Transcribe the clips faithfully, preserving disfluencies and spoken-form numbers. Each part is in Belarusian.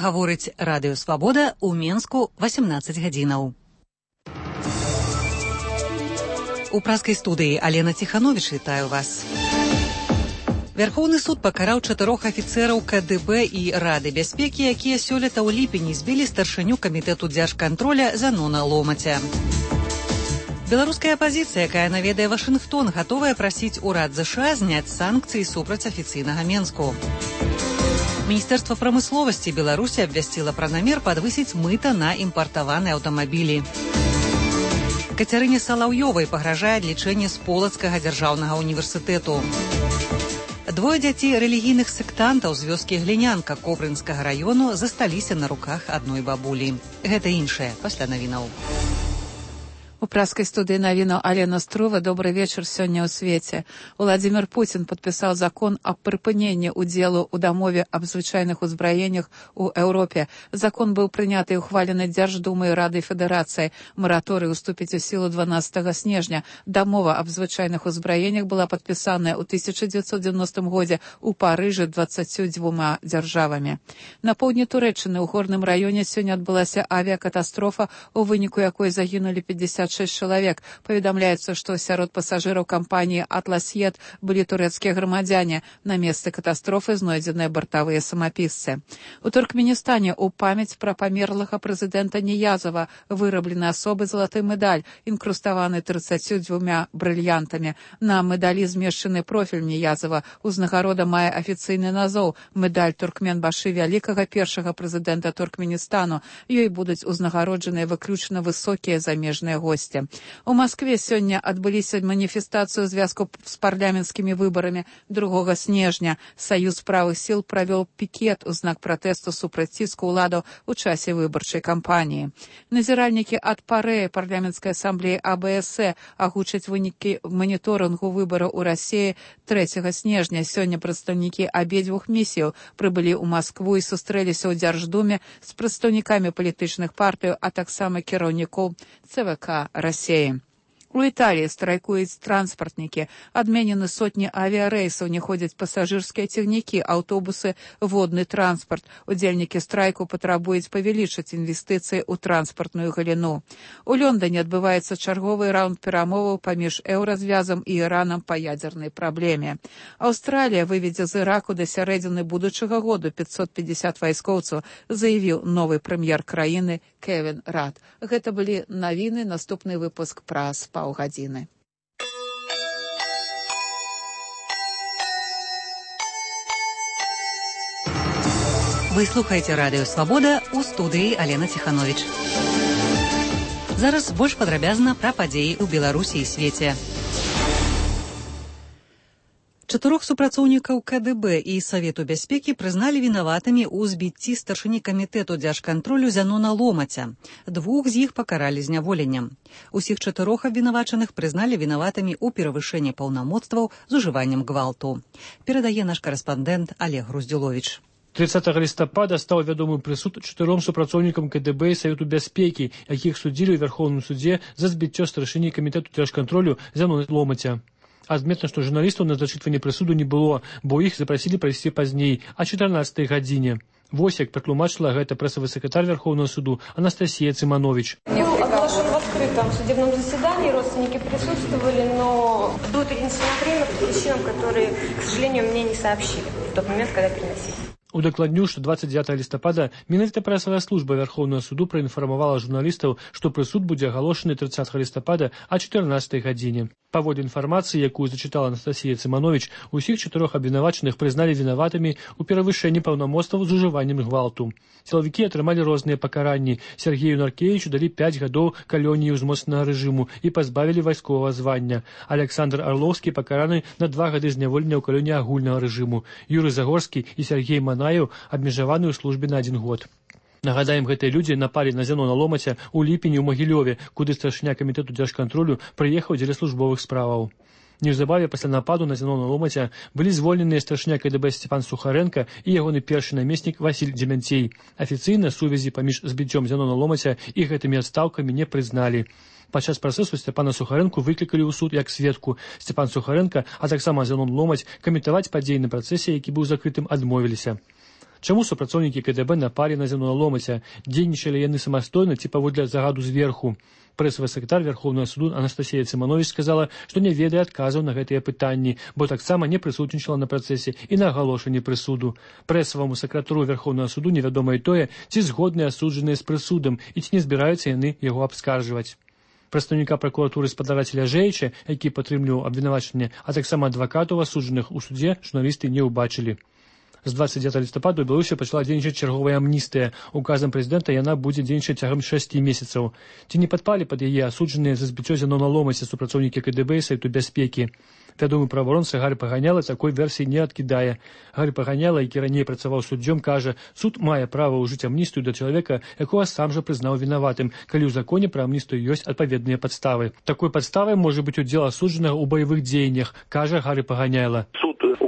гаворыць Радыё Свабода ў Менску васемнаццаць гадзінаў. У праскай студыі Алена Ціхановіч, вітаю вас. Вярхоўны суд пакараў чатырох афіцэраў ка дэ бэ і Рады бяспекі, якія сёлета ў ліпені збілі старшыню камітэту дзяржкантроля Зянона Ломаця. Беларуская апазіцыя, якая наведае Вашынгтон, гатовая прасіць урад ЗША зняць санкцыі супраць афіцыйнага Менску. Міністэрства прамысловасці Беларусі абвясціла пра намер падвысіць мыта на імпартаваныя аўтамабілі. Кацярыне Салаўёвай пагражае адлічэнне з Полацкага дзяржаўнага універсітэту. Двое дзяцей рэлігійных сектантаў з вёскі Глінянка Кобрынскага раёну засталіся на руках адной бабулі. Гэта іншае пасля навінаў. У праскай студыі навінаў Алена Струва. Добрый вечар сёння ў свеце. Владзімир Пуцін падпісаў закон аб прыпыненні ўдзелу ў дамове аб звычайных узбраеннях у Еўропе. Закон быў прыняты і ухвалены Дзярждумай Рады Федэрацыі. Мараторый уступіць у сілу дванаццатага снежня. Дамова аб звычайных узбраеннях была падпісаная ў тысяча дзевяцьсот дзевяностым годзе ў Парыжы дваццаццю дзвюма дзяржавамі. На поўдні Турэччыны ў горным раёне сёння адбылася авіякатастрофа, у выніку якой загінулі пятьдесят шесть чалавек. Паведамляецца, што сярод пасажыраў кампаніі «Атлас-Ед» былі турэцкія грамадзяне. На месцы катастрофы знойдзеныя бартавыя самапісцы. У Туркменістане ў памяць пра памерлага прэзідэнта Ніязава выраблена асобы залаты медаль, інкруставаны трыццаццю дзвюма брыльянтамі. На медалі змешчаны профіль Ніязава. Узнагарода мае афіцыйны назоў медаль Туркменбашы вялікага першага прэзідэнта Туркменістану. Ёй будуць узнагароджаныя выключна высокія замежныя госці. У Маскве сёння адбыліся маніфестацыю ў звязку з парламенцкімі выбарамі другога снежня. Саюз правых сіл правёў пікет у знак пратэсту супраць ціску ўладаў у часе выбарчай кампаніі. Назіральнікі ад Парэі парламенцкай асамблеі а бэ эс э агучаць вынікі маніторынгу выбараў у Расіі трэцяга снежня. Сёння прадстаўнікі абедзвюх місіяў прыбылі ў Маскву і сустрэліся ў Дзярждуме з прадстаўнікамі палітычных партый, а таксама кіраўнікоў цэ вэ ка России. У Італіі страйкуюць транспартнікі. Адменены сотні авіярэйсаў, не ходзяць пасажырскія цягнікі, аўтобусы, водны транспарт. Удзельнікі страйку патрабуюць павялічыць інвестыцыі ў транспартную галіну. У Лондоне адбываецца чарговы раунд перамоваў паміж еўразвязам і Іранам па ядзернай праблеме. Аўстралія выведзе з Іраку да сярэдзіны будучага году пятьсот пятьдесят вайскоўцаў, заявіў новы прэм'ер краіны Кевін Рад. Гэта былі навіны, наступны выпуск праз паўгадзіны. Вы слухаеце Радыё Свабода, у студыі Алена Ціхановіч. Зараз больш падрабязна пра падзеі ў Беларусі і свеце. Чатырох супрацоўнікаў ка дэ бэ і Савету бяспекі прызналі вінаватымі ў збіцці старшыні камітэту дзяржкантролю Зянона Ломаця. Двух з іх пакаралі зняволеннем. Усіх чатырох абвінавачаных прызналі вінаватымі ў перавышэнні паўнамоцтваў з ужываннем гвалту. Перадае наш карэспандэнт Олег Груздзюловіч. трыццатага лістапада стаў вядомым прысуд чатыром супрацоўнікам ка дэ бэ і Савету бяспекі, якіх судзілі ў Вярхоўным судзе за збіццё старшыні камітэту дзяржкантролю Зянона Ломаця. Адметна, што журналістаў на зачытванне прысуду не было, бо іх запрасілі прайсці пазней, а чатырнаццатай гадзіне. Вось як патлумачыла гэта прэсавы сакратар Верховного суду Анастасия Цыманович. Был оглашен в открытом судебном заседании, родственники присутствовали, но было перенесено время по причинам, которые, к сожалению, мне не сообщили в тот момент, когда переносили. Удакладню, што дваццаць дзевятага лістапада менавіта прэсавая служба Верховного суду праінфармавала журналістаў, што прысуд будзе агалошаны трыццатага лістапада а чатырнаццатай гадзіне. Паводле інфармацыі, якую зачытала Анастасия Цыманович, усіх чатырох абвінавачаных прызналі вінаватымі ў перавышэнні паўнамоцтваў з ужываннем гвалту. Сілавікі атрымалі розныя пакаранні. Сергею Наркевічу далі пяць гадоў калоніі ўзмоцненага рэжыму і пазбавілі вайсковага звання. Александр Арлоўскі пакараны на два гады зняволення ў калоніі агульнага рэжыму. Юрый Загорскі і Сергей Манаеў абмежаваны ў службе на адзін год. Нагадаем, гэтыя людзі напалі на Зянона Ломаця ў ліпені ў Магілёве, куды старшыня камітэту дзяржкантролю прыехаў дзеля службовых справаў. Неўзабаве пасля нападу на Зянона Ломаця былі звольненыя старшыня ка дэ бэ Сцепан Сухаренко і ягоны першы намеснік Васіль Дземянцей. Афіцыйна сувязі паміж збіццём Зянона Ломаця і гэтымі адстаўкамі не прызналі. Падчас працэсу Сцепана Сухаренко выклікалі ў суд як сведку. Сцепан Сухаренко, а таксама Зянон Ломаць каментаваць падзеі на працэсе, які быў закрытым, адмовіліся. Чаму супрацоўнікі КДБ напалі на Зянона Ломаця? Дзейнічалі яны самастойна ці паводле загаду зверху? Прэсавы сакратар Верховнага суду Анастасія Цыманович сказала, што не ведае адказаў на гэтыя пытанні, бо таксама не прысутнічала на працэсе і на агалошанні прысуду. Прэсаваму сакратару Верховнага суду невядома і тое, ці згодныя асуджаныя з прысудам і ці не збіраюцца яны яго абскарджваць. Прадстаўніка пракуратуры спадара Целяжэіча, які падтрымліваў абвінавачанне, а таксама адвакатаў асуджаных у судзе журналісты не ўбачылі. З двадцать девятого лістапада ў Беларусі пачала дзейнічаць чарговая амністыя. Указам прэзідэнта яна будзе дзейнічаць цягам шасці месяцаў. Ці не падпалі пад яе асуджаныя за збіццё Зянона Ломаця супрацоўнікі КДБ і Сайту бяспекі? Вядомы праваабаронца Гарый Паганяла такой версіі не адкідае. Гары Паганяла, які раней працаваў суддзём, кажа, суд мае права ўжыць амністыю да чалавека, якога сам жа прызнаў вінаватым, калі ў законе пра амністыю ёсць адпаведныя падставы. Такой падставай можа быць удзел асуджанага ў баявых дзеяннях, кажа Гары Паганяла.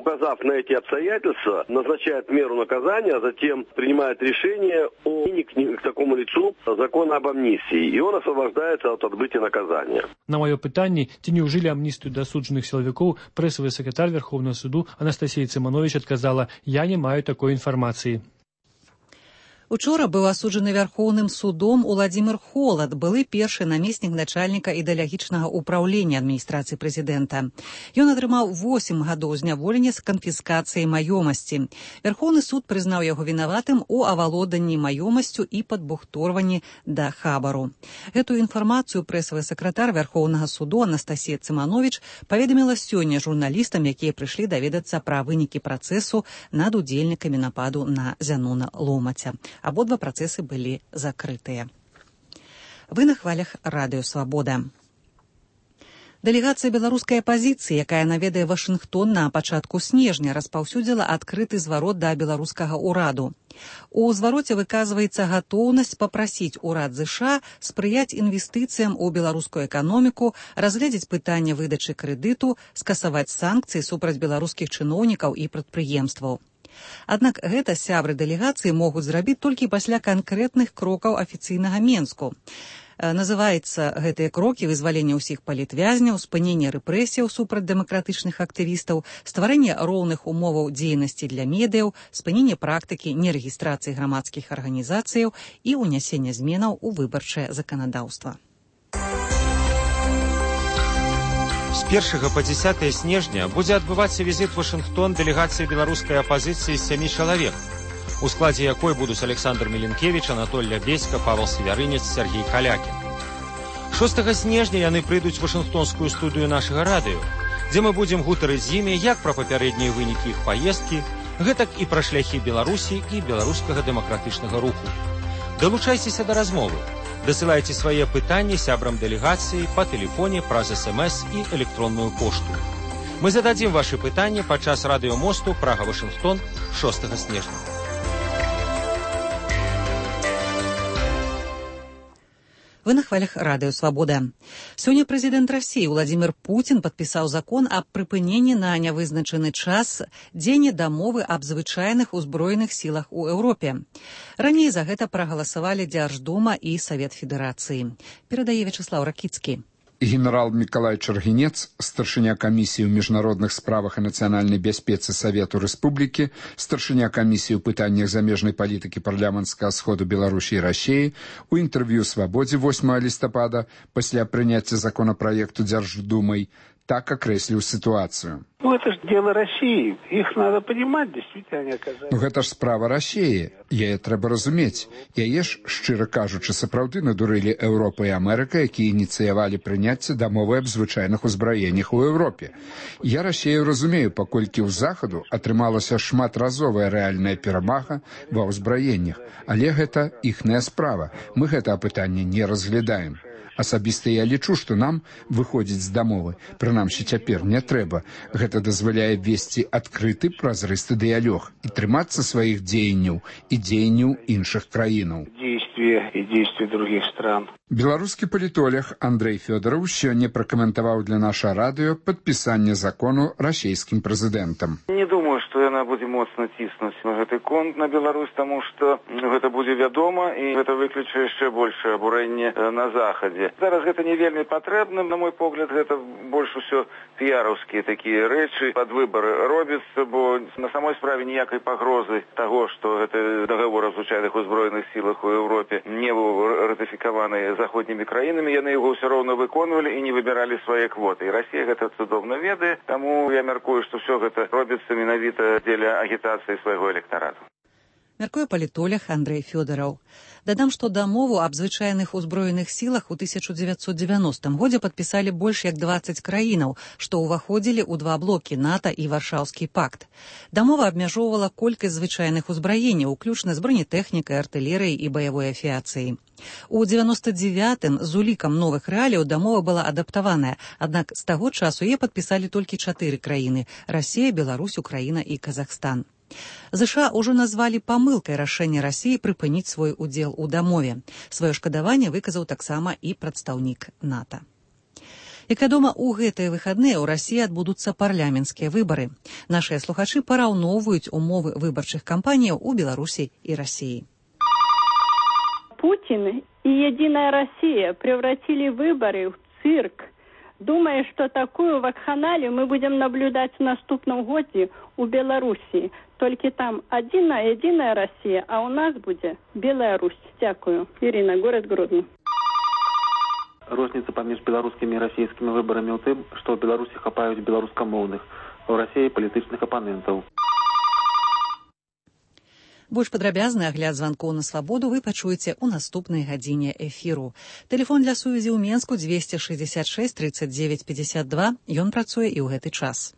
Указав на эти обстоятельства, назначает меру наказания, а затем принимает решение о к такому лицу закона об амнистии, и он освобождается от отбытия наказания. На мое пытанне, ці не ўжылі амністыю да асуджаных сілавікоў, прэсавы сакратар Верховнага суду Анастасія Цыманович адказала: «Я не маю такой інфармацыі». Учора быў асуджаны Вярхоўным судом Уладзімір Холад, былы першы намеснік начальніка ідэалагічнага ўпраўлення адміністрацыі прэзідэнта. Ён атрымаў восем гадоў зняволення з канфіскацыяй маёмасці. Вярхоўны суд прызнаў яго вінаватым у авалоданні маёмасцю і падбухторванні да хабару. Гэтую інфармацыю прэсавы сакратар Вярхоўнага суду Анастасія Цыманович паведаміла сёння журналістам, якія прыйшлі даведацца пра вынікі працэсу над удзельнікамі нападу на Зянона Ломаця. Абодва працэсы былі закрытыя. Вы на хвалях радыё «Свабода». Дэлегацыя беларускай апазіцыі, якая наведае Вашынгтон на пачатку снежня, распаўсюдзіла адкрыты зварот да беларускага ўраду. У звароце выказваецца гатоўнасць папрасіць урад ЗША спрыяць інвестыцыям у беларускую эканоміку, разгледзець пытанне выдачы крэдыту, скасаваць санкцыі супраць беларускіх чыноўнікаў і прадпрыемстваў. Аднак гэта сябры дэлегацыі могуць зрабіць толькі пасля канкрэтных крокаў афіцыйнага Менску. Называецца гэтыя крокі вызвалення ўсіх палітвязняў, спынення рэпрэсіяў супраць дэмакратычных актывістаў, стварэнне роўных умоваў дзейнасці для медыяў, спынення практыкі нерэгістрацыі грамадскіх арганізацыяў і ўнясення зменаў у выбарчае заканадаўства. З першага па дзесятае снежня будзе адбывацца візіт Вашынгтон дэлегацыі беларускай апазіцыі з сямі чалавек, у складзе якой будуць Александр Міленкевіч, Анатоль Лябеська, Павел Севярынец, Сергей Калякін. шостага снежня яны прыйдуць у вашынгтонскую студыю нашага радыё, дзе мы будзем гутарыць з імі як пра папярэднія вынікі іх паездкі, гэтак і пра шляхі Беларусі і беларускага дэмакратычнага руху. Далучайцеся да размовы. Дасылайце свае пытанні сябрам дэлегацыі па тэлефоне праз эс-эм-эс і электронную пошту. Мы зададзім вашы пытанні падчас радыёмосту Прага-Вашынгтон шостага снежня. Вы на хвалях радыё «Свабода». Сёння прэзідэнт Расіі Уладзімір Пуцін падпісаў закон аб прыпыненні на нявызначаны час дзеяння дамовы аб звычайных узброеных сілах у Еўропе. Раней за гэта прагаласавалі Дзярждума і Савет Федэрацыі. Перадае Вячеслаў Ракіцкі. Генерал Миколай Чаргінец, старшыня камісіі ў міжнародных справах і нацыянальнай бяспецы Савету Рэспублікі, старшыня камісіі ў пытаннях замежнай палітыкі парламенцкага сходу Беларусі і Расіі, у інтэрв'ю «Свабодзе» восьмага лістапада пасля прыняцця законапраекту Дзярждумай так окреслил ситуацию. Ну, это же дело России. Их надо понимать, действительно, они оказались. Ну, гэта ж справа России. Яе трэба разумець. Яе ж, шчыра кажучы, сапраўды надурылі Еўропа і Амерыка, якія ініцыявалі прыняцце дамовы аб звычайных узбраеннях у Еўропе. Я Россию разумею, паколькі ў Захаду атрымалася шматразовая рэальная перамага ва ўзбраеннях. Але гэта іхная справа. Мы гэта пытанне не разглядаем. Асабіста я лічу, што нам выходзіць з дамовы, прынамсі цяпер не трэба. Гэта дазваляе весці адкрыты празрысты дыялог і трымацца сваіх дзеянняў і дзеянняў іншых краінаў. Действий действия и действия других стран. Беларускі палітолог Андрей Фёдоров сёння пракаментаваў для наша радыё падпісанне закону расійскім прэзідэнтам. Не думаю, што яна будзе моцна ціснуць на гэты конт на Беларусь, таму што гэта будзе вядома і гэта выкліча яшчэ большае абурэнне на захадзе. Зараз гэта не вельмі патрэбна, на мой погляд, гэта больш усё піяраўскія такія рэчы, пад выбары робяцца, бо на самой справе ніякай пагрозы таго, што гэты дагавор аб звычайных узброеных сілах у Еўропе не быў ратыфікаваны заходнімі краінамі, яны яго ўсё роўна выконвалі і не выбіралі свае квоты. І Расія гэта цудоўна ведае, таму я мяркую, што ўсё гэта робіцца менавіта дзеля агітацыі свайго электарату. Мяркуе палітолог Андрей Фёдоров. Дадам, што дамову аб звычайных узброеных сілах у тысяча дзевяцьсот дзевяностым годзе падпісалі больш як дваццаць краінаў, што ўваходзілі ў два блокі НАТО і Варшаўскі пакт. Дамова абмяжоўвала колькасць звычайных узбраенняў, уключна з бронетэхнікай, артылерыяй і баявой авіяцыяй. У дзевяноста дзевятым з улікам новых рэаліяў дамова была адаптаваная, аднак з таго часу яе падпісалі толькі чатыры краіны – Расія, Беларусь, Украіна і Казахстан. ЗША ўжо назвалі памылкай рашэнне Расіі прыпыніць свой удзел у дамове. Сваё шкадаванне выказаў таксама і прадстаўнік НАТО. Як вядома, у гэтыя выхадныя ў Расіі адбудуцца парламенцкія выбары. Нашыя слухачы параўноўваюць умовы выбарчых кампаніяў у Беларусі і Расіі. Путин и «Единая Россия» превратили выборы в цирк. Думая, что такую вакханалию мы будем наблюдать в наступном году у Беларуси. Только там одна «Единая Россия», а у нас будет Беларусь. Дякую. Ирина, город Гродно. Розніца паміж беларускімі і расійскімі выбарамі ў тым, што ў Беларусі хапаюць беларускамоўных, а ў Расіі палітычных апанентаў. Больш падрабязны агляд званкоў на свабоду вы пачуеце ў наступнай гадзіне эфіру. Тэлефон для сувязі ў Менску двести шестьдесят шесть тридцать девять пятьдесят два. Ён працуе і ў гэты час.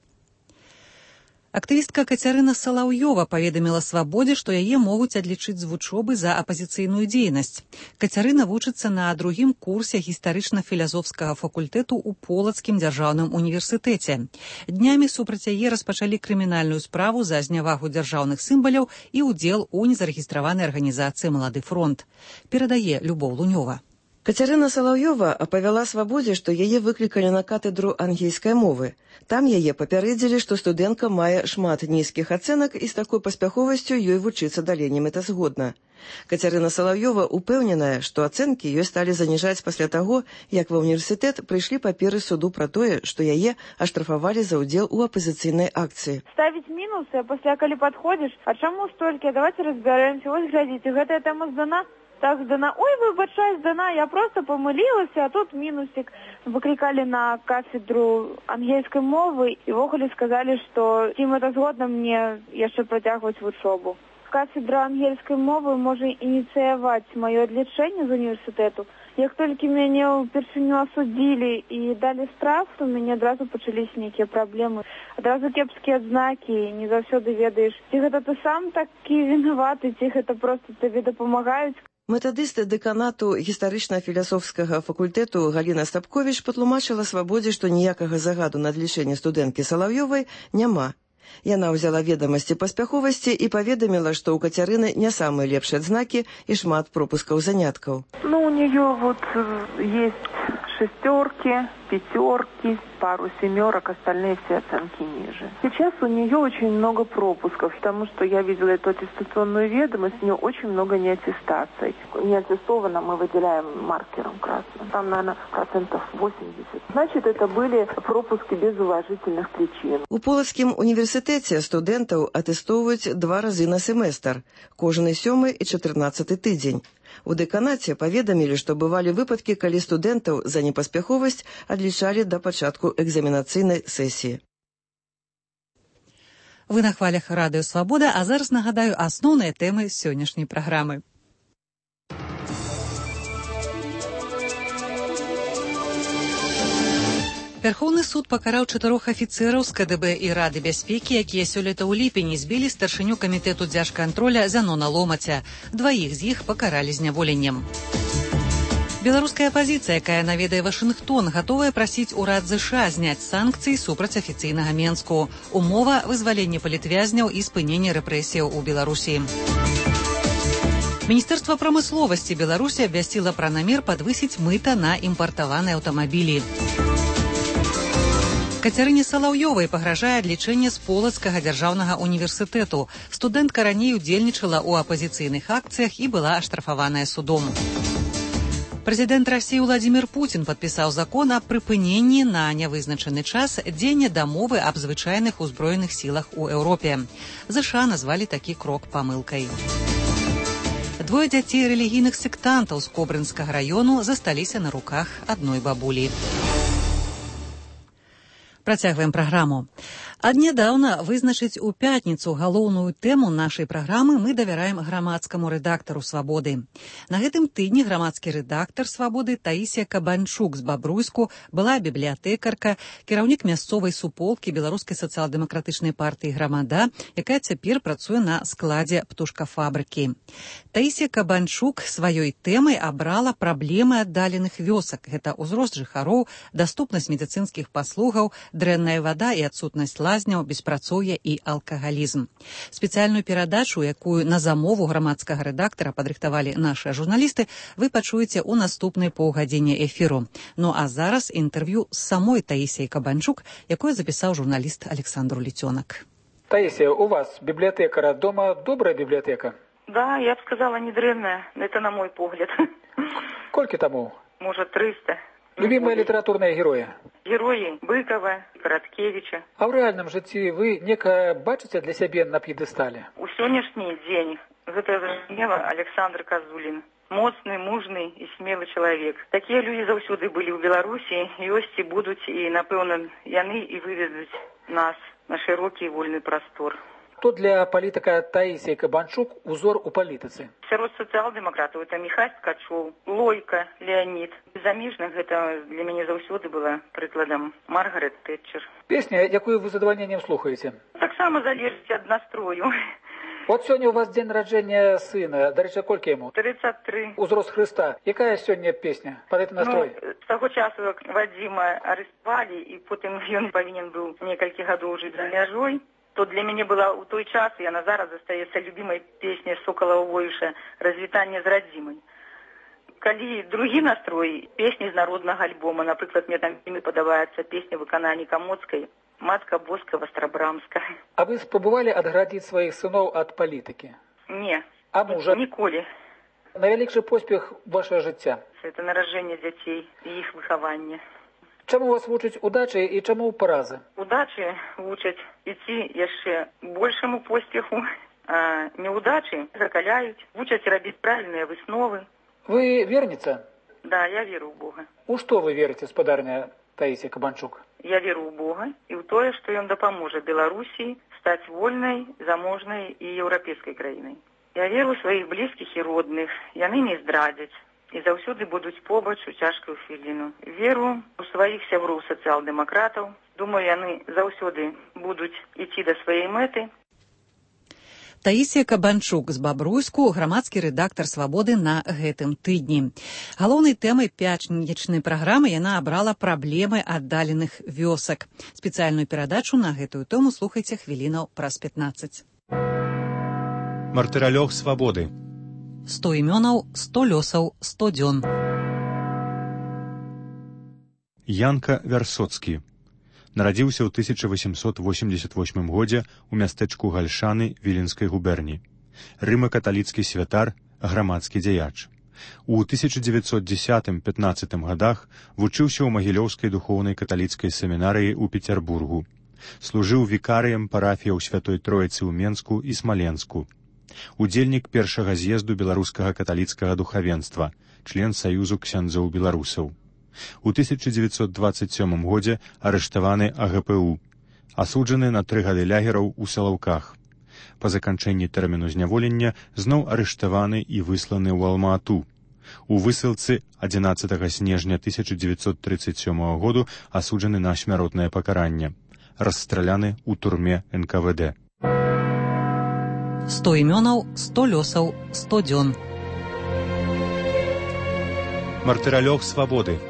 Актывістка Кацярына Салаўёва паведаміла свабодзе, што яе могуць адлічыць з вучобы за апазіцыйную дзейнасць. Кацярына вучыцца на другім курсе гістарычна-філазофскага факультэту ў Полацкім дзяржаўным універсітэце. Днямі супраць яе распачалі крымінальную справу за знявагу дзяржаўных сімваляў і ўдзел у незарэгістраванай арганізацыі «Малады фронт». Перадае Любоў Лунёва. Кацярына Салаўёва апавяла свабодзе, што яе выклікалі на катедру ангельскай мовы. Там яе папярэдзілі, што студэнтка мае шмат нізкіх ацэнак і з такой паспяховасцю ёй вучыцца далей немэтазгодна. Кацярына Салаўёва упэўненая, што ацэнкі ёй сталі заніжаць пасля таго, як ва ўніверсітэт прыйшлі паперы суду пра тое, што яе аштрафавалі за ўдзел у апазіцыйнай акцыі. Ставіць мінусы, а пасля калі падходзіш, а чаму столькі? Давайте разбярэмся. Вось глядзіце, гэтая тэма здана. Так здана. Ой, выбачай, здана, я просто помылілася, а тут мінусик. Выкликали на кафедру ангельской мовы и вогуле сказали, что им это згодно мне яшчэ працягваць вучобу. Кафедра ангельской мовы можа ініцыяваць маё адлічэнне з універсітэту. Як толькі мяне ўпершыню асудзілі і далі штраф, то у мяне адразу пачаліся нейкія праблемы. Адразу кепскія адзнакі, не заўсёды ведаеш, ці гэта ты сам такі вінаваты, ці гэта проста табе дапамагаюць. Метадысты дэканату гістарычна-філасофскага факультэту Галіна Стапковіч патлумачыла свабодзе, што ніякага загаду на адлічэнне студэнткі Салаўёвай няма. Яна ўзяла ведамасці паспяховасці і паведаміла, што ў Кацярыны не самыя лепшыя адзнакі і шмат пропускаў заняткаў. Ну, у нее вот есть шестерки, пятерки, пару семерок, остальные все оценки ниже. Сейчас у нее очень много пропусков, потому что я видела эту аттестационную ведомость, у нее очень много неаттестаций. Неаттестованно мы выделяем маркером красным. Там, наверное, процентов восемьдесят. Значит, это были пропуски без уважительных причин. У Полацкім універсітэце студэнтаў атэстоўваюць два разы на семестр, кожны сёмы і чатырнаццаты тыдзень. У дэканаце паведамілі, што бывалі выпадкі, калі студэнтаў за непаспяховасць адлічалі да пачатку экзаменацыйнай сесіі. Вы на хвалях радыё «Свабода», а зараз нагадаю асноўныя тэмы сённяшняй праграмы. Верховны суд пакараў чатырох афіцэраў з ка дэ бэ і Рады бяспекі, якія сёлета ў ліпені збілі старшыню камітэту дзяржкантроля Зянона Ломаця. Дваіх з іх пакаралі зняволеннем. Беларуская апазіцыя, якая наведае Вашынгтон, гатовая прасіць урад ЗША зняць санкцыі супраць афіцыйнага Менску. Умова – вызваленне палітвязняў і спыненне рэпрэсіяў у Беларусі. Министерство промысловости Беларуси обвестило про намер подвысить мыто на импортованные автомобили. Кацярыне Салаўёвай пагражае адлічэнне з Полацкага дзяржаўнага універсітэту. Студэнтка раней удзельнічала ў апазіцыйных акцыях і была аштрафаваная судом. Прэзідэнт Расіі Владзімір Пуцін падпісаў закон аб прыпыненні на нявызначаны час дзеяння дамовы аб звычайных узброеных сілах у Еўропе. ЗША назвалі такі крок памылкай. Двое дзяцей рэлігійных сектантаў з Кобрынскага раёну засталіся на руках адной бабулі. Працягваем праграму. Аднядаўна вызначыць у пятніцу галоўную тэму нашай праграмы мы давяраем грамадскаму рэдактару «Свабоды». На гэтым тыдні грамадскі рэдактар «Свабоды» Таісія Кабанчук з Бабруйску была бібліятэкарка, кіраўнік мясцовай суполкі Беларускай сацыял-дэмакратычнай партыі «Грамада», якая цяпер працуе на складзе птушкафабрыкі. Таісія Кабанчук сваёй тэмай абрала праблемы аддаленых вёсак. Гэта ўзрост жыхароў, даступнасць медыцынскіх паслугаў, дрэнная вада і адсутнасць лазняў, беспрацоўе і алкагалізм. Спецыяльную перадачу, якую на замову грамадскага рэдактара падрыхтавалі нашыя журналісты, вы пачуеце ў наступнай паўгадзіне эфіру. Ну а зараз інтэрв'ю з самой Таісіяй Кабанчук, якое запісаў журналіст Александр Літёнак. Таисия, у вас библиотекара дома добрая библиотека? Да, я бы сказала, не древняя. Это на мой погляд. Сколько тому? Может, триста. Любимые литературные герои? Герои Быкова, Короткевича. А в реальном житті вы некое бачите для себя на пьедестале? У сённяшний день это зразумела Александр Козулин. Моцны, мужны і смелы чалавек. Такія людзі заўсёды былі ў Беларусі, ёсць і будуць, і, напэўна, яны і выведуць нас на широкі і вольны прастор. Кто для политика Таисия Кабанчук узор у политицы? Сярод социал-демократов это Михаил Ткачев, Лойка, Леонид. Замежных это для меня заўсёды было прикладом Маргарет Тэтчер. Песня, якую вы с задовольнением слухаете? Так само залежит от настрою. Вот сегодня у вас день рождения сына. До речі, кольки ему? тридцать три. Узрост Христа. Якая сегодня песня? Под этот настрой? Ну, с того часу, как Вадима арестовали, и потом он повинен был несколько годов жить за мяжой, то для меня была у той час, и она зараз застаецца любимой песней Соколова Войша «Развітанне з радзімай». Калі другі настрой, песні з народнага альбома, напрыклад, мне там вельмі падабаецца песня выканальніка Моцкай «Матка Боска Вострабрамска». А вы спробовали отградить своих сынов от политики? Не, а мужа? Ніколі. Найвялікшы поспех вашего жыцця? Это наражэнне дзяцей і іх выхаванне. Чаму вас вучаць удачы і чаму паразы? Удачы вучаць ідці яшчэ большаму поспеху, а неудачы закаляюць, вучаць рабіць правільныя высновы. Вы верніца? Да, я веру ў Бога. У што вы верыце, спадарня Таисия Кабанчук? Я веру ў Бога і ў тое, што ён дапаможа Беларусі стаць вольнай, заможнай і еўрапейскай краінай. Я веру ў сваіх блізкіх і родных, яны не здрадзяць і заўсёды будуць побач у цяжкую хвіліну. Веру ў сваіх сяброў сацыял-дэмакратаў. Думаю, яны заўсёды будуць ісці да сваёй мэты. Таісія Кабанчук з Бабруйску, грамадскі рэдактар «Свабоды» на гэтым тыдні. Галоўнай тэмай пятнічнай праграмы яна абрала праблемы аддаленых вёсак. Спецыяльную перадачу на гэтую тэму слухайце хвілінаў праз пятнаццаць. Мартыралёг «Свабоды». сто імёнаў, сто лёсаў, сто дзён. Янка Вярсоцкі. Нарадзіўся ў тысяча восемьсот восемьдесят восьмым годзе ў мястэчку Гальшаны Віленскай губерні. Рыма-каталіцкі святар, грамадскі дзяяч. У тысяча дзевяцьсот дзесятым — пятнаццатым гадах вучыўся ў Магілёўскай духоўнай каталіцкай семінарыі ў Пецярбургу. Служыў вікарыем парафіяў Святой Троіцы ў Менску і Смаленску. Удзельнік першага з'езду беларускага каталіцкага духавенства, член Саюзу ксяндзоў беларусаў. У тысяча дзевяцьсот дваццаць сёмым годзе арыштаваны А Г П У, асуджаны на тры гады лягераў у Салаўках. Па заканчэнні тэрміну зняволення зноў арыштаваны і высланы ў Алма-Ату. У высылцы адзінаццатага снежня тысяча дзевяцьсот трыццаць сёмага году асуджаны на смяротнае пакаранне. Расстраляны ў турме Н К В Д. сто імёнаў, сто лёсаў, сто дзён. Мартыралёг «Свабоды».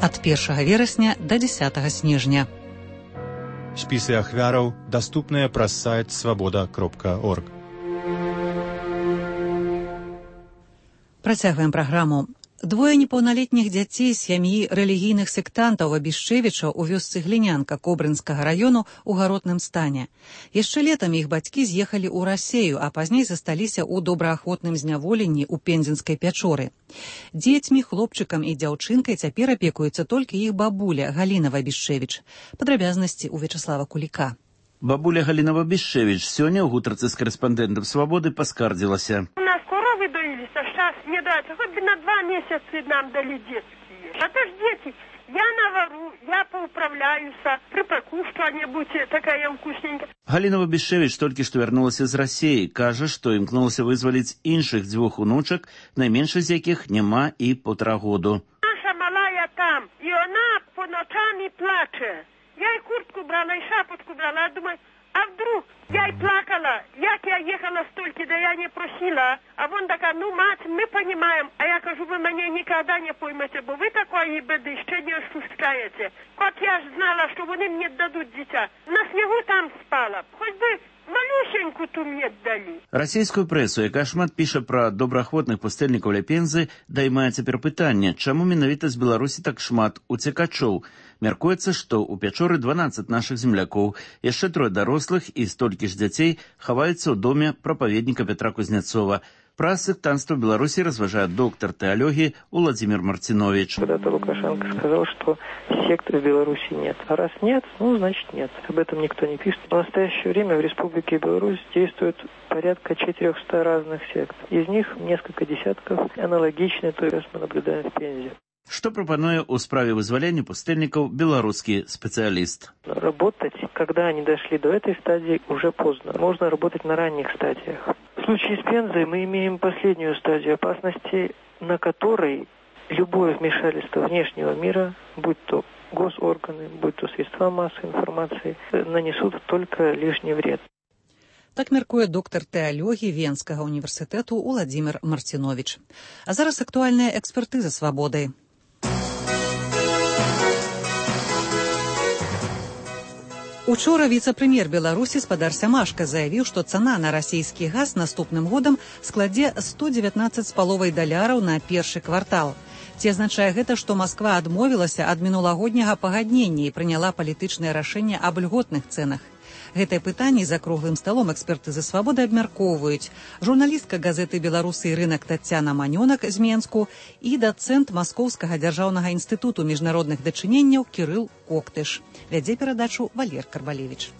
Ад першага верасня да дзесятага снежня. Спісы ахвяраў даступныя праз сайт свабода кропка орг. Працягваем праграму. Двое непаўналетніх дзяцей з сям'і рэлігійных сектантаў Абішчевіча ў вёсцы Глінянка Кобрынскага раёну ў гаротным стане. Яшчэ летам іх бацькі з'ехалі ў Расею, а пазней засталіся ў добраахвотным зняволенні ў Пензенскай пячоры. Дзецьмі, хлопчыкам і дзяўчынкай цяпер апекуецца толькі іх бабуля Галіна Абішчевіч. Падрабязнасці ў Вячаслава Куліка. Бабуля Галіна Абішчевіч сёння ў гутарцы з карэспандэнтам «Свабоды» паскардзілася. Доились, а сейчас не дать. Хоть бы на два месяца нам дали детские. А то ж дети, я навару, я поуправляюсь, припеку что-нибудь, такая вкусненькая. Галина Абішчевіч толькі што вярнулася з Расеі. Кажа, што імкнулася вызваліць іншых дзвюх унучак, найменшых з якіх няма і паўтара году. Наша малая там, и она по ночам и плаче. Я и куртку брала, и шапочку брала, думаю, а вдруг я и плакала, як я ехала столько, да я не просила. А вон такая, ну, мать, мы понимаем. А я кажу, вы меня никогда не поймете, бо вы такой беды еще не ощущаете. Как я ж знала, что они мне дадут дитя. На снегу там спала. Хоть бы малюсеньку ту мне дали. Расійскую прэсу, якая шмат піша пра добраахвотных пустэльнікаў ля Пензы, даймае цяпер пытанне, чаму менавіта з Беларусі так шмат уцекачоў. Мяркуецца, што ў пячоры дванаццаць нашых землякоў, яшчэ трое дарослых і столькі ж дзяцей хаваюцца ў доме прапаведніка Петра Кузнецова. Про сектантство в Беларуси разважает доктор теологии Владимир Мартинович. Когда-то Лукашенко сказал, что сект в Беларуси нет. А раз нет, ну, значит нет. Об этом никто не пишет. В настоящее время в Республике Беларусь действует порядка четырехсот разных сект. Из них несколько десятков аналогичны той, что мы наблюдаем в Пензе. Что пропонует у справе вызволения пустельников белорусский специалист? Работать, когда они дошли до этой стадии, уже поздно. Можно работать на ранних стадиях. В случае с Пензой мы имеем последнюю стадию опасности, на которой любое вмешательство внешнего мира, будь то госорганы, будь то средства массовой информации, нанесут только лишний вред. Так мяркуе доктор тэалогіі Венскага універсітэту Владимир Мартинович. А зараз актуальная экспертыза «Свабоды». Учора віцэ-прэм'ер Беларусі спадар Сямашка заявіў, што цана на расійскі газ наступным годам складзе сто дзевятнаццаць з паловай даляраў на першы квартал. Ці азначае гэта, што Масква адмовілася ад мінулагодняга пагаднення і прыняла палітычнае рашэнне аб льготных цэнах? Гэтае пытанне за круглым сталом экспертызы «Свабоды» абмяркоўваюць журналістка газеты «Беларусы» і рынак Таццяна Манёнак з Менску і дацэнт Маскоўскага дзяржаўнага інстытуту міжнародных дачыненняў Кірыл Коктыш. Вядзе перадачу Валер Карбалевич.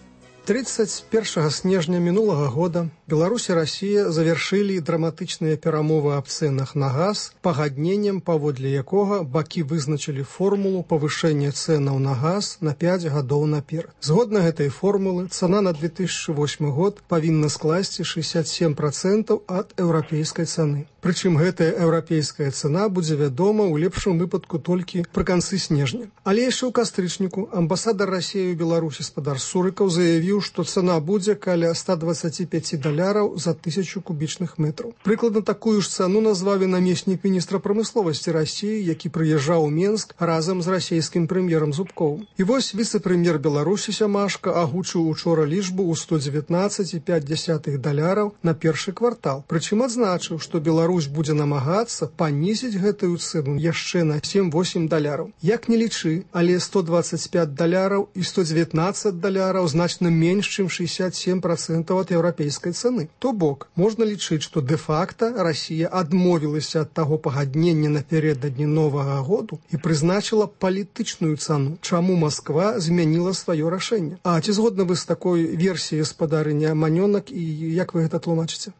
тридцать первого снежня минулого года Беларусь и Россия завершили драматычныя перамовы аб цэнах на газ, пагадненнем, паводле якога бакі вызначылі формулу павышэння цэнаў на газ на пять гадоў наперад. Згодна гэтай формулы, цана на две тысячи восьмы год павінна скласці шестьдесят семь процентов ад еўрапейскай цаны. Прычым гэтая еўрапейская цана будзе вядома ў лепшым выпадку толькі пры канцы снежня. Але яшчэ ў кастрычніку амбасадар Расіі ў Беларусі спадар Сурыкаў заявіў, што цана будзе каля ста двадцати пяти даляраў за тысячу кубічных метраў. Прыкладна такую ж цану назваў і намеснік міністра прамысловасці Расіі, які прыязджаў у Менск разам з расійскім прэм'ерам Зубковым. І вось віцэ-прэм'ер Беларусі Сямашка агучыў учора лічбу ў сто дзевятнаццаць і пяць дзясятых даляраў на першы квартал. Прычым адзначыў, што Беларусь будзе намагацца панізіць гэтую цэну яшчэ на сем-восем даляраў. Як не лічы, але сто двадцать пять даляраў і сто девятнадцать даляраў значна менш, чым шестьдесят семь процентов ад еўрапейскай цаны. То бок, можна лічыць, што дэ-факта Расія адмовілася ад таго пагаднення напярэдадні новага году і прызначыла палітычную цану, чаму Масква змяніла сваё рашэнне. А ці згодны вы з такой версіяй спадарыня Манёнак і як вы гэта тлумачыце?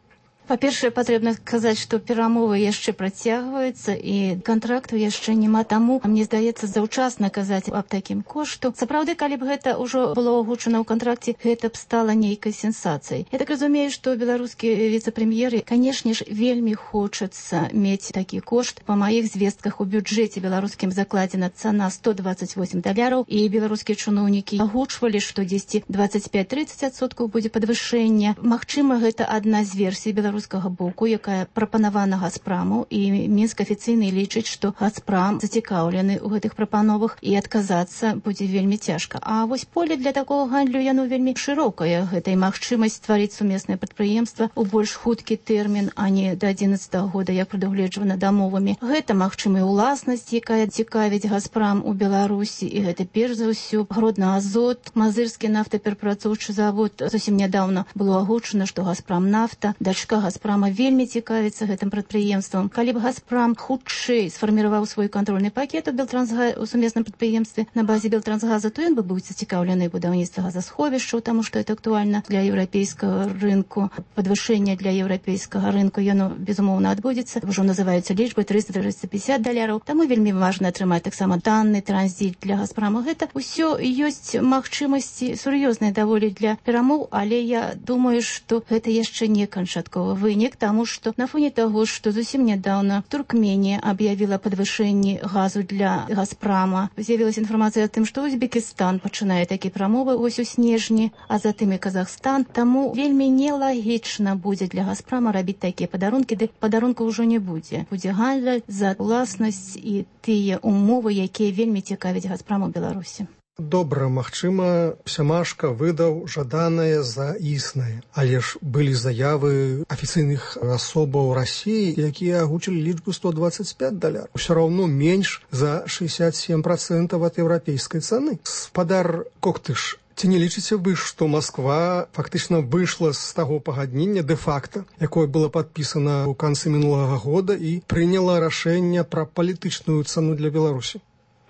Па-першае, патрэбна сказаць, што перамовы яшчэ працягваюцца і кантракту яшчэ няма, таму мне здаецца заўчасна казаць аб такім кошту. Сапраўды, калі б гэта ўжо было агучана ў кантракце, гэта б стала нейкай сенсацыяй. Я так разумею, што беларускі віцэ-прэм'еры, канешне ж, вельмі хочацца мець такі кошт. Па маіх звестках у бюджэце беларускім закладзена цана сто двадцать восемь даляраў, і беларускія чыноўнікі агучвалі, што дзесьці двадцать пять-тридцать адсоткаў будзе падвышэнне. Магчыма, гэта адна з версій беларускіх беларускага боку, якая прапанавана Газпраму, і Мінск афіцыйна лічыць, што Газпрам зацікаўлены ў гэтых прапановах і адказацца будзе вельмі цяжка. А вось поле для такого гандлю яно вельмі шырокае. Гэта і магчымасць стварыць сумеснае прадпрыемства ў больш хуткі тэрмін, а не да адзінаццатага года, як прадугледжвана дамовамі. Гэта, магчыма, і уласнасць, якая цікавіць Газпрам у Беларусі, і гэта перш за ўсё Гродна-Азот, Мазырскі нафтаперапрацоўчы завод. Зусім нядаўна было агучана, што Газпрамнафта, дачка Газпрама, вельмі цікавіцца гэтым прадпрыемствам. Калі б Газпрам хутчэй сфарміраваў свой кантрольны пакет у Белтрансга у сумесным прадпрыемстве на базе Белтрансгаза, то ён бы быў зацікаўлены будаўніцтва газасховішчаў, таму што это актуальна для еўрапейскага рынку. Падвышэнне для еўрапейскага рынку яно безумоўна адбудзецца. Ужо называюцца лічбы трыста - трыста пятьдесят даляраў. Таму вельмі важна атрымаць таксама танны транзіт для Газпрама. Гэта ўсё ёсць магчымасці сур'ёзныя даволі для перамоў, але я думаю, што гэта яшчэ не канчатковы вынік, таму што на фоне таго, што зусім нядаўна Туркменія аб'явіла падвышэнне газу для Газпрама, з'явілася інфармацыя аб тым, што Узбекістан пачынае такія прамовы вось у снежні, а затым і Казахстан. Таму вельмі нелагічна будзе для Газпрама рабіць такія падарункі, ды падарунку ўжо не будзе. Будзе гандаль за уласнасць і тыя умовы, якія вельмі цікавяць Газпраму ў Беларусі. Добра, магчыма, Сямашка выдаў жаданае за існае, але ж былі заявы афіцыйных асобаў Расіі, якія агучылі лічбу сто двадцать пять даляраў. Усё роўно менш за шестьдесят семь процентов ад еўрапейскай цаны. Спадар Коктыш, ці не лічыце вы, што Масква фактычна выйшла з таго пагаднення дэ-факта, якое было падпісана ў канцы мінулага года і прыняла рашэнне пра палітычную цану для Беларусі?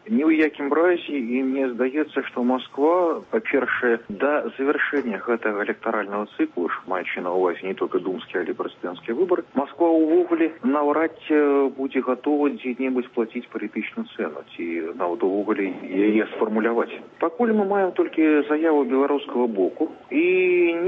Ні ў якім разе, і мне здаецца, што Москва, па-першае, да завяршэння гэтага электаральнага цыклу, маючы на ўвазе не толькі думскія, але прэзідэнцкія выбары, Москва ўвогуле наўрад будзе гатова дзе-небудзь плаціць палітычную цэну, ці нават увогуле яе сфармуляваць. Пакуль мы маем толькі заяву беларускага боку і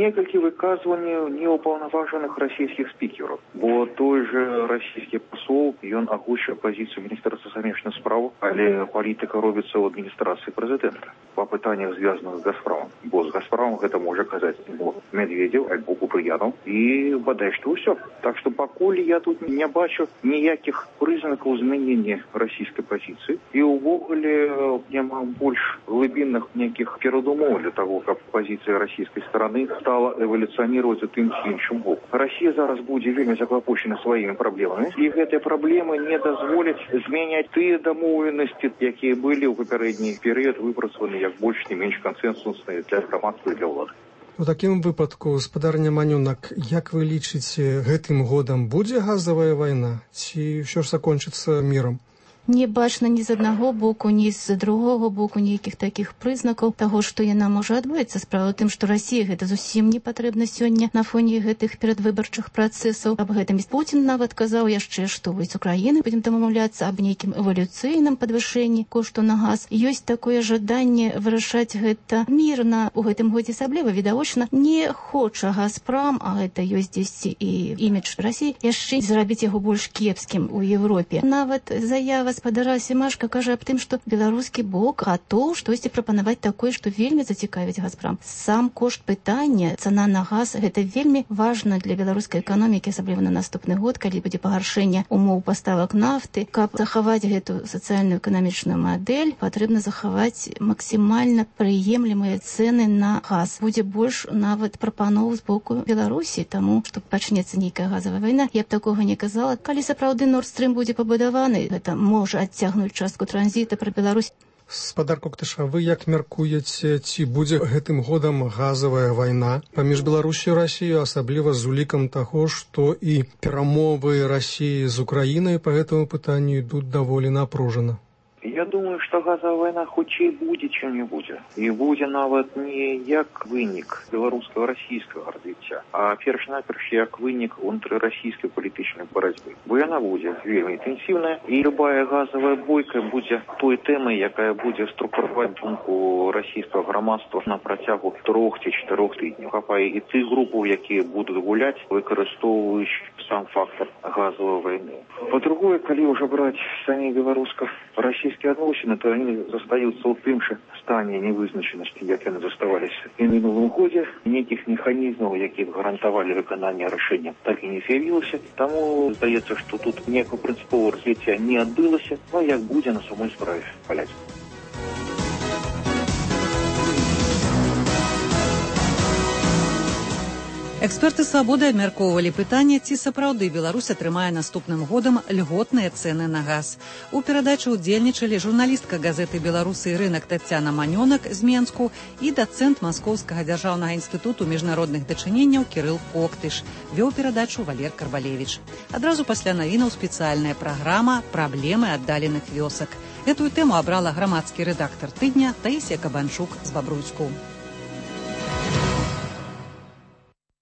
некалькі выказванняў неўпаўнаважаных расійскіх спікераў, бо той же расійскі пасол, ён агучыў пазіцыю міністэрства замежных спраў, але палітыка робіцца ў адміністрацыі прэзідэнта па пытаннях, звязаных з Газпрамом. Бо з Газпрамом гэта можа казаць альбо Медведзеў, альбо Купрыянаў, і бадай што ўсё. Так што пакуль я тут не бачу ніякіх прызнакаў змянення расійскай пазіцыі, і ўвогуле няма больш глыбінных нейкіх перадумоў для таго, каб пазіцыя расійскай стараны стала эвалюцыянироваць у тым ці іншым боку. Расія зараз будзе вельмі заклапочена сваімі праблемамі, і гэтыя праблемы не дазволяць змяняць тыя дамоўленасці, якія былі ў папярэдні перыяд выпрацаваны як больш не менш кансэнсусныя для грамадства і для ўлады. У такім выпадку, спадарня Манюнак, як вы лічыце, гэтым годам будзе газавая вайна, ці ўсё ж закончыцца мірам? Не бачна ні з аднаго боку, ні з другого боку ніякіх такіх прызнакаў таго, што яна можа адбыцца. Справа ў тым, што Расія гэта зусім не патрэбна сёння на фоне гэтых перадвыбарчых працэсаў. Аб гэтым Пуцін нават казаў яшчэ, што вось з Украіны будзем дамаўляцца аб нейкім эвалюцыйным падвышэнні кошту на газ. Ёсць такое жаданне вырашаць гэта мірна. У гэтым годзе асабліва відавочна не хоча Газпрам, а гэта ёсць дзесьці і імідж Расіі, яшчэ зрабіць яго больш кепскім у Еўропе. Нават заява спадара Сямашка кажа аб тым, што беларускі бок гатоў штосьці прапанаваць такое, што вельмі зацікавіць Газпрам. Сам кошт пытання, цана на газ, гэта вельмі важна для беларускай эканомікі, асабліва на наступны год, калі будзе пагаршэнне умоў паставак нафты. Каб захаваць гэту сацыяльную эканамічную мадэль, патрэбна захаваць максімальна прыемлемыя цэны на газ. Будзе больш нават прапаноў з боку Беларусі, таму што пачнецца нейкая газавая вайна. Я б такога не казала. Калі сапраўды Норд-Стрым будзе пабудаваны, гэта можа адцягнуць частку транзіта пра Беларусь. Спадар Коктыша, вы як мяркуеце, ці будзе гэтым годам газавая вайна паміж Беларусю і Расіяю, асабліва з улікам таго, што і перамовы Расіі з Украінай па гэтаму пытанню ідуць даволі напружана? Я думаю, што газавая вайна хутчэй будзе, чым не будзе. І будзе нават не як вынік беларускага расійскага развіцця, а перш-наперш як вынік унутрырасійскай палітычнай барацьбы. Бо яна будзе вельмі інтэнсіўная, і любая газавая бойка будзе той тэмай, якая будзе структураваць думку расійскага грамадства на працягу трох ці чатырох тыдняў. Хапае і тых групаў, якія будуць гуляць, выкарыстоўваючы сам фактор газавай вайны. Па-другое, калі ўжо браць самі беларуска-расійскія беларуска-расійскія адносіны, то они застаюцца ў тым жа стане невызначанасці, як яны заставаліся і ў мінулым годзе. Нейкіх механізмаў, які б гарантавалі выкананне рашэння, так і не з'явілася. Таму здаецца, што тут ніякого прынцыповага развіцця не адбылася, но як будзе на самой справе паляць. Эксперты «Свабоды» абмяркоўвалі пытанне, ці сапраўды Беларусь атрымае наступным годам льготныя цэны на газ. У перадачы ўдзельнічалі журналістка газеты «Беларусы і рынак» Таццяна Манёнак з Менску і дацэнт Маскоўскага дзяржаўнага інстытуту міжнародных дачыненняў Кірыл Коктыш. Вёў перадачу Валер Карвалевіч. Адразу пасля навінаў спецыяльная праграма «Праблемы аддаленых вёсак». Гэтую тэму абрала грамадскі рэдактар тыдня Таісія Кабанчук з Бабруйску.